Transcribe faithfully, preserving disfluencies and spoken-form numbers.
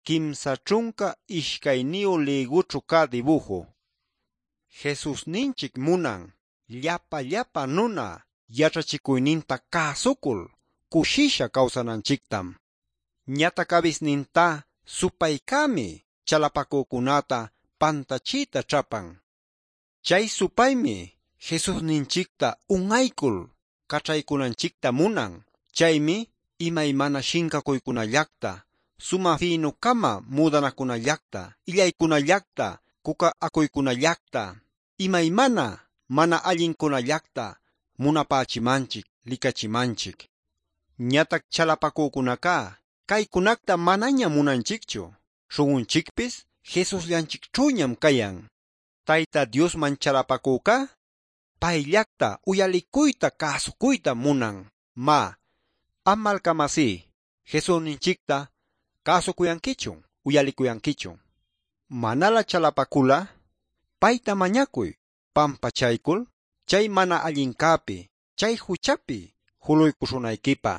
Kimsa ćhunca ishcayniyu lïgućhu cä dibuju. Jesusninchic munan llapa llapa nuna yaćhachicuyninta cäsucul cushisha cawsananchictam. Ñatac abisnintá supaycämi chalapacücunäta pantachiyta ćhapan. Chay supaymi Jesusninchicta un'aycul caćhaycunanchicta munan. Chaymi imaymana shincacuycunallacta, sumä fïnu-cama müdanacunallacta, illaycunallacta, cuca acuycunallacta, imaymana mana allincunallacta munapächimanchic, licachimanchic. Ñatac chalapacücunacá caycunacta manaña munanchicchu. Śhun'unchicpis Jesusllanchicćhüñam cayan. Tayta Diosman chalapacücá payllacta uyalicuyta cäsucuyta munan. Má, am malca-masí, Jesusninchicta cäsucuyanquichun, uyalicuyanquichun. Manalä chalapacul'a payta mañacuy pampachaycul chay mana allincäpi, chay juchapi juluycuśhunayquipä.